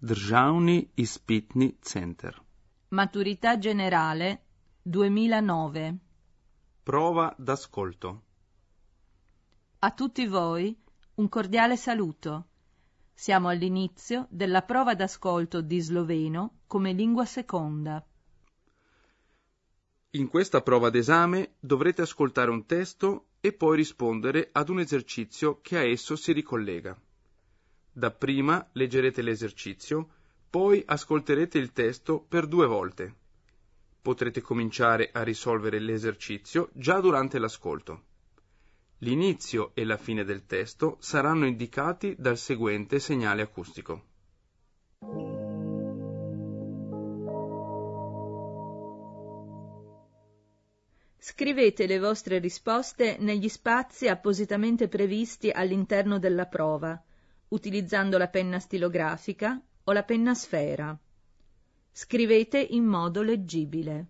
Državni izpitni center. Maturità generale 2009. Prova d'ascolto. A tutti voi un cordiale saluto. Siamo all'inizio della prova d'ascolto di sloveno come lingua seconda. In questa prova d'esame dovrete ascoltare un testo e poi rispondere ad un esercizio che a esso si ricollega. Dapprima leggerete l'esercizio, poi ascolterete il testo per 2 volte. Potrete cominciare a risolvere l'esercizio già durante l'ascolto. L'inizio e la fine del testo saranno indicati dal seguente segnale acustico. Scrivete le vostre risposte negli spazi appositamente previsti all'interno della prova, utilizzando la penna stilografica o la penna sfera. Scrivete in modo leggibile.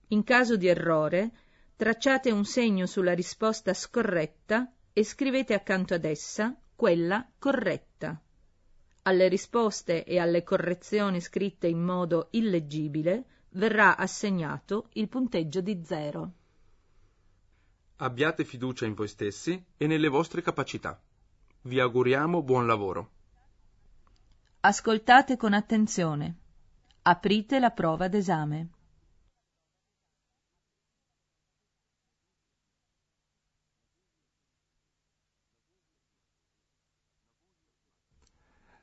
In caso di errore, tracciate un segno sulla risposta scorretta e scrivete accanto ad essa quella corretta. Alle risposte e alle correzioni scritte in modo illeggibile verrà assegnato il punteggio di 0. Abbiate fiducia in voi stessi e nelle vostre capacità. Vi auguriamo buon lavoro. Ascoltate con attenzione. Aprite la prova d'esame.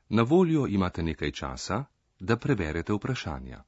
Na voljo imate nekaj časa, da preberete vprašanja.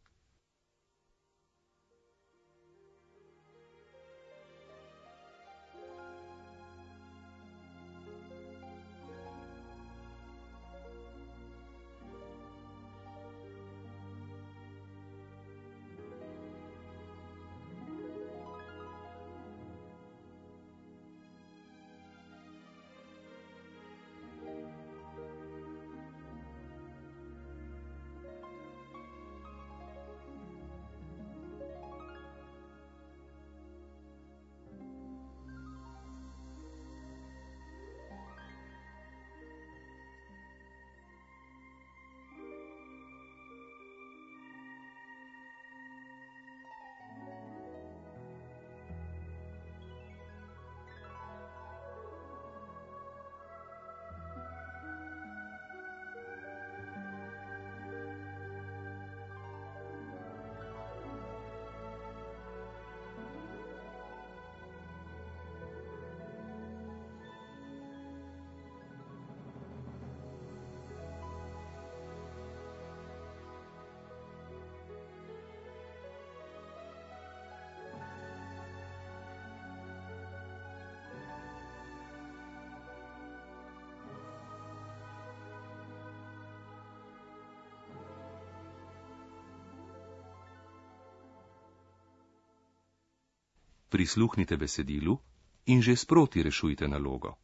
Prisluhnite besedilu in že sproti rešujte nalogo.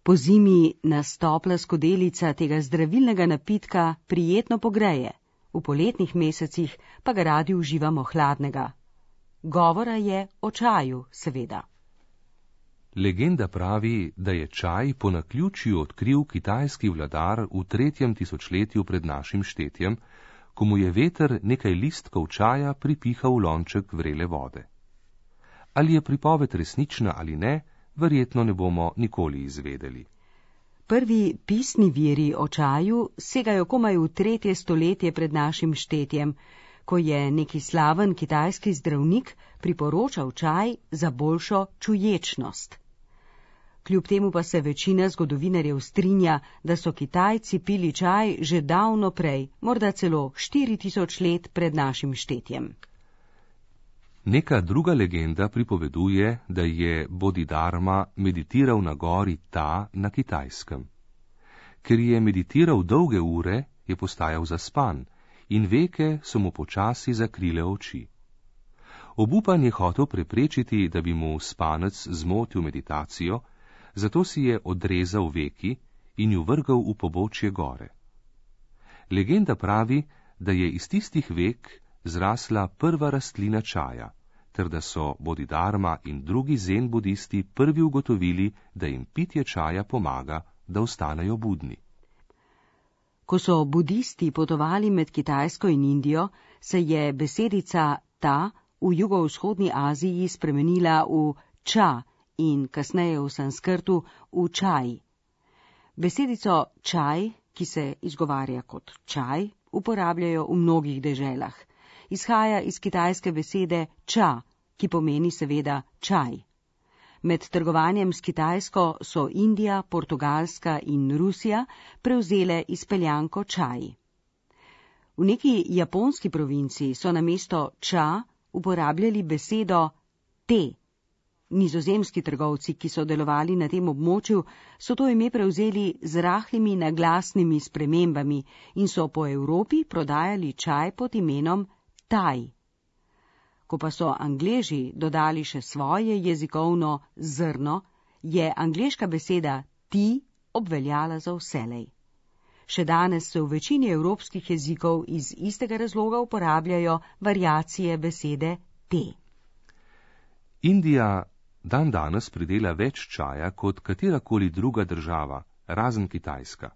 Pozimi nas topla skodelica tega zdravilnega napitka prijetno pogreje, v poletnih mesecih pa ga radi uživamo hladnega. Govora je o čaju, seveda. Legenda pravi, da je čaj po naključju odkril kitajski vladar v 3. tisočletju pred našim štetjem, ko mu je veter nekaj listkov čaja pripihal v lonček vrele vode. Ali je pripoved resnična ali ne, verjetno ne bomo nikoli izvedeli. Prvi pisni viri o čaju segajo komaj v 3. stoletje pred našim štetjem, ko je neki slaven kitajski zdravnik priporočal čaj za boljšo čuječnost. Kljub temu pa se večina zgodovinarjev strinja, da so Kitajci pili čaj že davno prej, morda celo 4000 let pred našim štetjem. Neka druga legenda pripoveduje, da je Bodhidharma meditiral na gori Ta na Kitajskem. Ker je meditiral dolge ure, je postajal zaspan in veke so mu počasi zakrile oči. Obupan je hotel preprečiti, da bi mu spanec zmotil meditacijo, zato si je odrezal veki in ju vrgal v pobočje gore. Legenda pravi, da je iz tistih vek zrasla prva rastlina čaja, ter da so Bodhidharma in drugi zen budisti prvi ugotovili, da jim pitje čaja pomaga, da ostanejo budni. Ko so budisti potovali med Kitajsko in Indijo, se je besedica ta v jugovzhodni Aziji spremenila v ča in kasneje v sanskrtu v čaj. Besedico čaj, ki se izgovarja kot čaj, uporabljajo v mnogih deželah. Izhaja iz kitajske besede ča, ki pomeni seveda čaj. Med trgovanjem s Kitajsko so Indija, Portugalska in Rusija prevzele izpeljanko čaj. V neki japonski provinciji so namesto ča uporabljali besedo te. Nizozemski trgovci, ki so delovali na tem območju, so to ime prevzeli z rahlimi naglasnimi spremembami in so po Evropi prodajali čaj pod imenom taj. Ko pa so Angleži dodali še svoje jezikovno zrno, je angleška beseda ti obveljala za vselej. Še danes se v večini evropskih jezikov iz istega razloga uporabljajo variacije besede te. Indija dandanes pridela več čaja kot katerakoli druga država, razen Kitajska.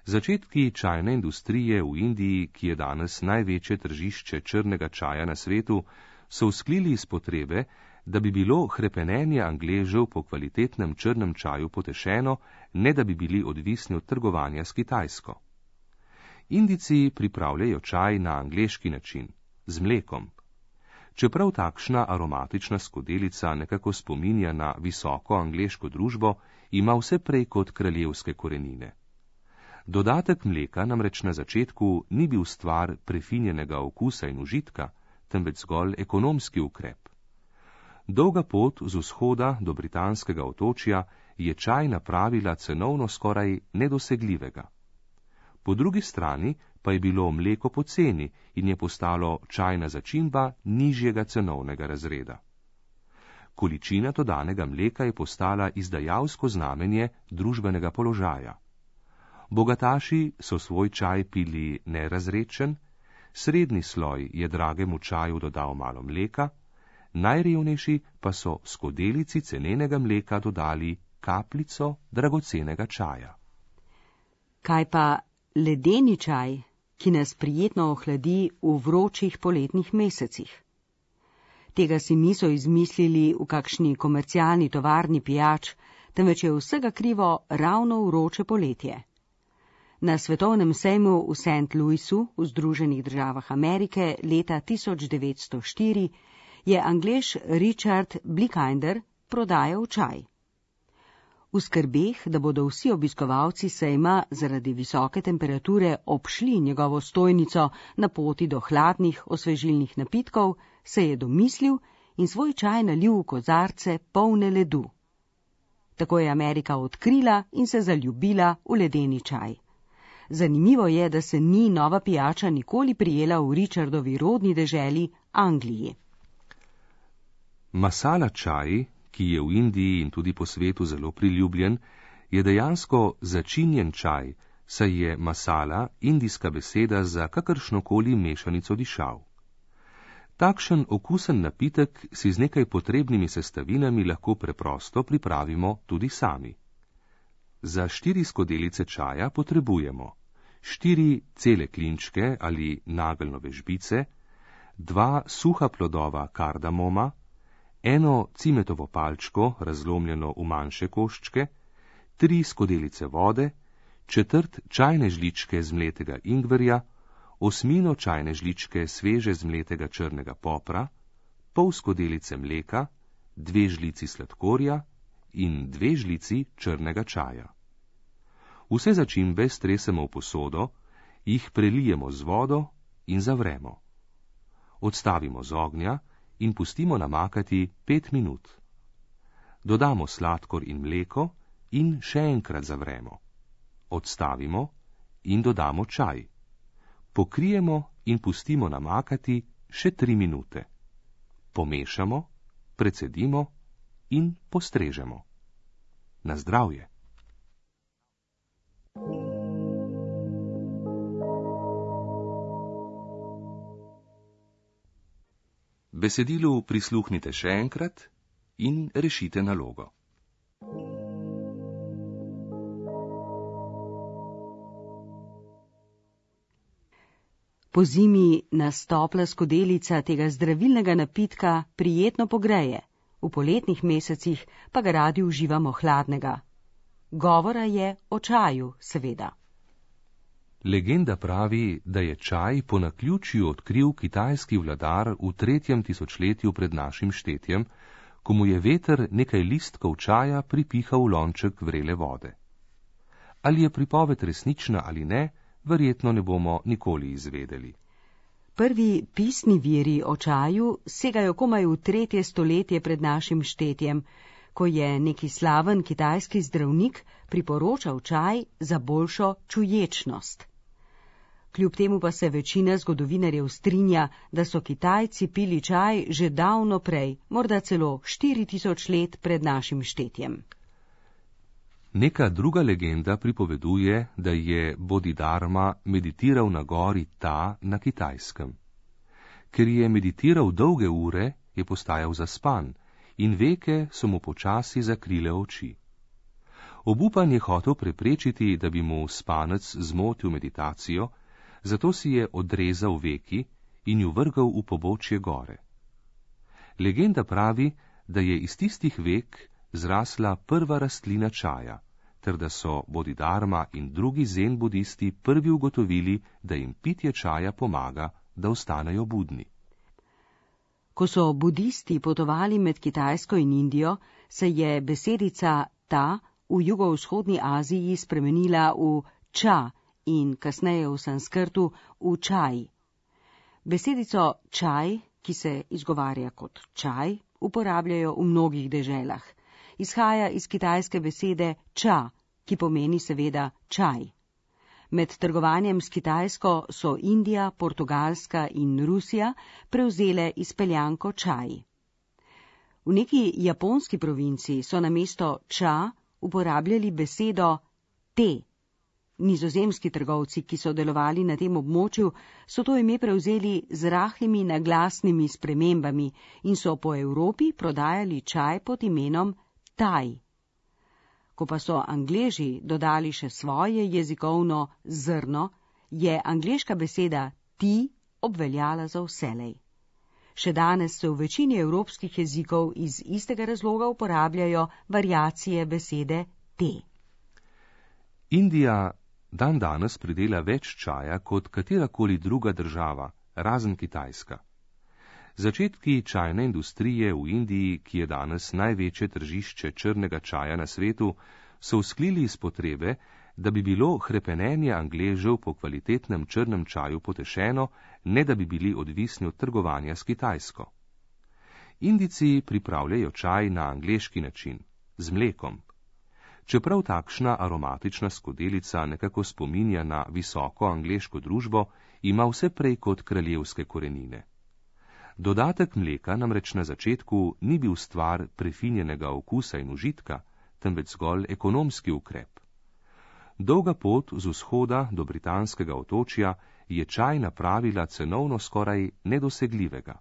Začetki čajne industrije v Indiji, ki je danes največje tržišče črnega čaja na svetu, so vzklili iz potrebe, da bi bilo hrepenenje Angležev po kvalitetnem črnem čaju potešeno, ne da bi bili odvisni od trgovanja s Kitajsko. Indijci pripravljajo čaj na angleški način, z mlekom. Čeprav takšna aromatična skodelica nekako spominja na visoko angleško družbo, ima vse prej kot kraljevske korenine. Dodatek mleka namreč na začetku ni bil stvar prefinjenega okusa in užitka, temveč zgolj ekonomski ukrep. Dolga pot z vzhoda do britanskega otočja je čaj napravila cenovno skoraj nedosegljivega. Po drugi strani pa je bilo mleko poceni in je postalo čajna začimba nižjega cenovnega razreda. Količina dodanega mleka je postala izdajalsko znamenje družbenega položaja. Bogataši so svoj čaj pili nerazredčen, srednji sloj je dragemu čaju dodal malo mleka, najrevnejši pa so skodelici cenenega mleka dodali kapljico dragocenega čaja. Kaj pa ledeni čaj, ki nas prijetno ohladi v vročih poletnih mesecih? Tega si niso izmislili v kakšni komercialni tovarni pijač, temveč je vsega krivo ravno vroče poletje. Na svetovnem sejmu v St. Louisu v Združenih državah Amerike leta 1904 je Anglež Richard Blickinder prodajal čaj. V skrbeh, da bodo vsi obiskovalci sejma zaradi visoke temperature obšli njegovo stojnico na poti do hladnih osvežilnih napitkov, se je domislil in svoj čaj nalil v kozarce polne ledu. Tako je Amerika odkrila in se zaljubila v ledeni čaj. Zanimivo je, da se ni nova pijača nikoli prijela v Richardovi rodni deželi Angliji. Masala čaj, ki je v Indiji in tudi po svetu zelo priljubljen, je dejansko začinjen čaj, saj je masala indijska beseda za kakršnokoli mešanico dišav. Takšen okusen napitek si z nekaj potrebnimi sestavinami lahko preprosto pripravimo tudi sami. Za 4 skodelice čaja potrebujemo 4 cele klinčke ali nageljnove žbice, 2 suha plodova kardamoma, 1 cimetovo palčko, razlomljeno v manjše koščke, 3 skodelice vode, 1/4 čajne žličke zmletega ingverja, 1/8 čajne žličke sveže zmletega črnega popra, pol skodelice mleka, 2 žlici sladkorja in 2 žlici črnega čaja. Vse začimbe stresemo v posodo, jih prelijemo z vodo in zavremo. Odstavimo z ognja in pustimo namakati 5 minut. Dodamo sladkor in mleko in še enkrat zavremo. Odstavimo in dodamo čaj. Pokrijemo in pustimo namakati še 3 minute. Pomešamo, precedimo in postrežemo. Na zdravje! Besedilu prisluhnite še enkrat in rešite nalogo. Pozimi nas topla skodelica tega zdravilnega napitka prijetno pogreje, v poletnih mesecih pa ga radi uživamo hladnega. Govora je o čaju, seveda. Legenda pravi, da je čaj po naključju odkril kitajski vladar v 3. tisočletju pred našim štetjem, ko mu je veter nekaj listkov čaja pripihal v lonček vrele vode. Ali je pripoved resnična ali ne, verjetno ne bomo nikoli izvedeli. Prvi pisni viri o čaju segajo komaj v 3. stoletje pred našim štetjem, ko je neki slaven kitajski zdravnik priporočal čaj za boljšo čuječnost. Kljub temu pa se večina zgodovinarjev strinja, da so Kitajci pili čaj že davno prej, morda celo 4000 let pred našim štetjem. Neka druga legenda pripoveduje, da je Bodhidharma meditiral na gori Ta na Kitajskem. Ker je meditiral dolge ure, je postajal zaspan in veke so mu počasi zakrile oči. Obupan je hotel preprečiti, da bi mu spanec zmotil meditacijo, zato si je odrezal veki in ju vrgal v pobočje gore. Legenda pravi, da je iz tistih vek zrasla prva rastlina čaja, ter da so Bodhidharma in drugi zen budisti prvi ugotovili, da jim pitje čaja pomaga, da ostanejo budni. Ko so budisti potovali med Kitajsko in Indijo, se je besedica ta v jugovzhodni Aziji spremenila v ča in kasneje v sanskrtu v čaj. Besedico čaj, ki se izgovarja kot čaj, uporabljajo v mnogih deželah. Izhaja iz kitajske besede ča, ki pomeni seveda čaj. Med trgovanjem s Kitajsko so Indija, Portugalska in Rusija prevzele izpeljanko čaj. V neki japonski provinci so namesto ča uporabljali besedo te. Nizozemski trgovci, ki so delovali na tem območju, so to ime prevzeli z rahlimi naglasnimi spremembami in so po Evropi prodajali čaj pod imenom taj. Ko pa so Angleži dodali še svoje jezikovno zrno, je angleška beseda ti obveljala za vselej. Še danes se v večini evropskih jezikov iz istega razloga uporabljajo variacije besede te. Indija dandanes pridela več čaja kot katerakoli druga država, razen Kitajska. Začetki čajne industrije v Indiji, ki je danes največje tržišče črnega čaja na svetu, so vzklili iz potrebe, da bi bilo hrepenenje Angležev po kvalitetnem črnem čaju potešeno, ne da bi bili odvisni od trgovanja s Kitajsko. Indijci pripravljajo čaj na angleški način, z mlekom. Čeprav takšna aromatična skodelica nekako spominja na visoko angleško družbo, ima vse prej kot kraljevske korenine. Dodatek mleka namreč na začetku ni bil stvar prefinjenega okusa in užitka, temveč zgolj ekonomski ukrep. Dolga pot z vzhoda do britanskega otočja je čaj napravila cenovno skoraj nedosegljivega.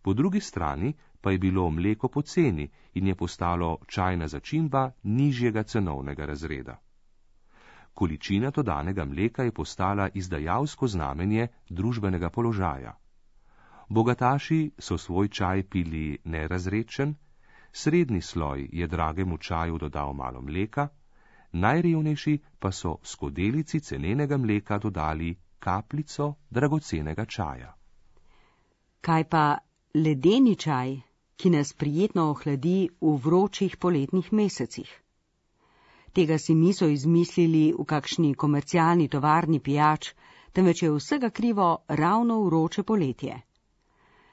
Po drugi strani pa je bilo mleko poceni in je postalo čajna začimba nižjega cenovnega razreda. Količina dodanega mleka je postala izdajalsko znamenje družbenega položaja. Bogataši so svoj čaj pili nerazredčen, srednji sloj je dragemu čaju dodal malo mleka, najrevnejši pa so skodelici cenenega mleka dodali kapljico dragocenega čaja. Kaj pa ledeni čaj, ki nas prijetno ohladi v vročih poletnih mesecih? Tega si niso izmislili v kakšni komercialni tovarni pijač, temveč je vsega krivo ravno vroče poletje.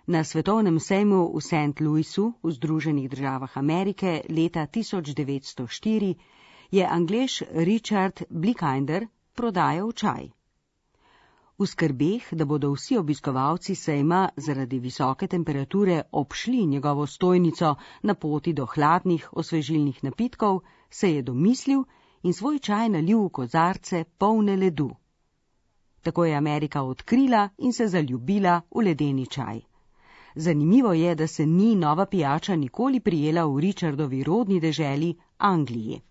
Na svetovnem sejmu v St. Louisu v Združenih državah Amerike leta 1904 je Anglež Richard Blickinder prodajal čaj. V skrbeh, da bodo vsi obiskovalci sejma zaradi visoke temperature obšli njegovo stojnico na poti do hladnih osvežilnih napitkov, se je domislil in svoj čaj nalil v kozarce polne ledu. Tako je Amerika odkrila in se zaljubila v ledeni čaj. Zanimivo je, da se ni nova pijača nikoli prijela v Richardovi rodni deželi Angliji.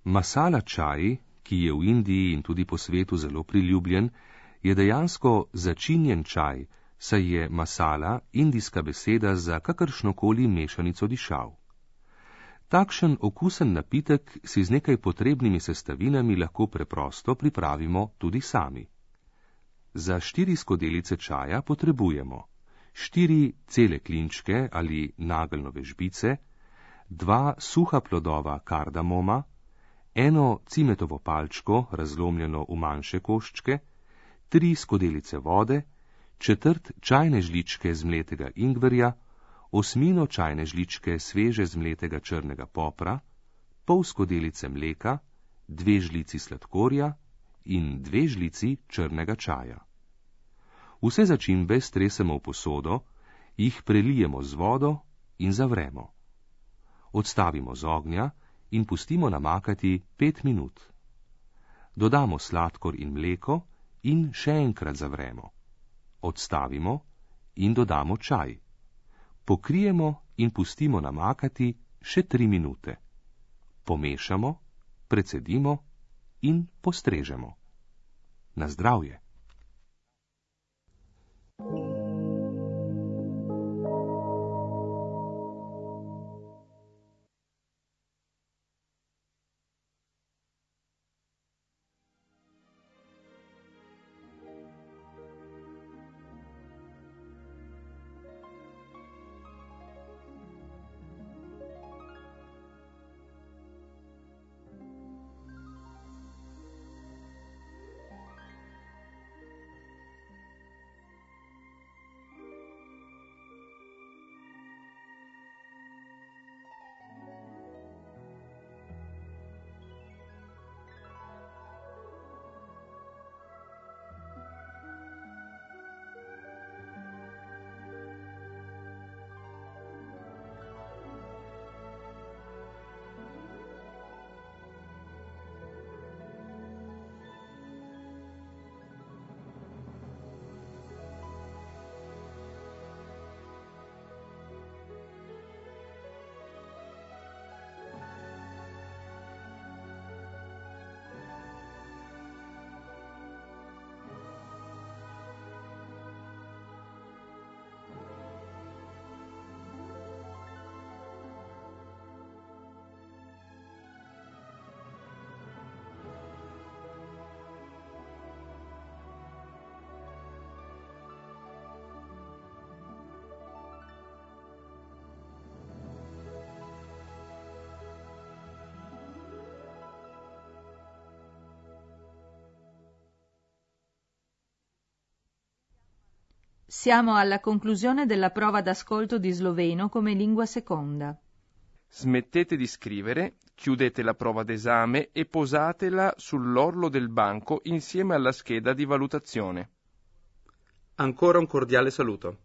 Masala čaj, ki je v Indiji in tudi po svetu zelo priljubljen, je dejansko začinjen čaj, saj je masala indijska beseda za kakršnokoli mešanico dišav. Takšen okusen napitek si z nekaj potrebnimi sestavinami lahko preprosto pripravimo tudi sami. Za 4 skodelice čaja potrebujemo 4 cele klinčke ali nageljnove žbice, 2 suha plodova kardamoma, 1 cimetovo palčko, razlomljeno v manjše koščke, 3 skodelice vode, 1/4 čajne žličke zmletega ingverja, 1/8 čajne žličke sveže zmletega črnega popra, pol skodelice mleka, 2 žlici sladkorja in 2 žlici črnega čaja. Vse začimbe stresemo v posodo, jih prelijemo z vodo in zavremo. Odstavimo z ognja in pustimo namakati 5 minut. Dodamo sladkor in mleko in še enkrat zavremo. Odstavimo in dodamo čaj. Pokrijemo in pustimo namakati še 3 minute. Pomešamo, precedimo in postrežemo. Na zdravje! Siamo alla conclusione della prova d'ascolto di sloveno come lingua seconda. Smettete di scrivere, chiudete la prova d'esame e posatela sull'orlo del banco insieme alla scheda di valutazione. Ancora un cordiale saluto.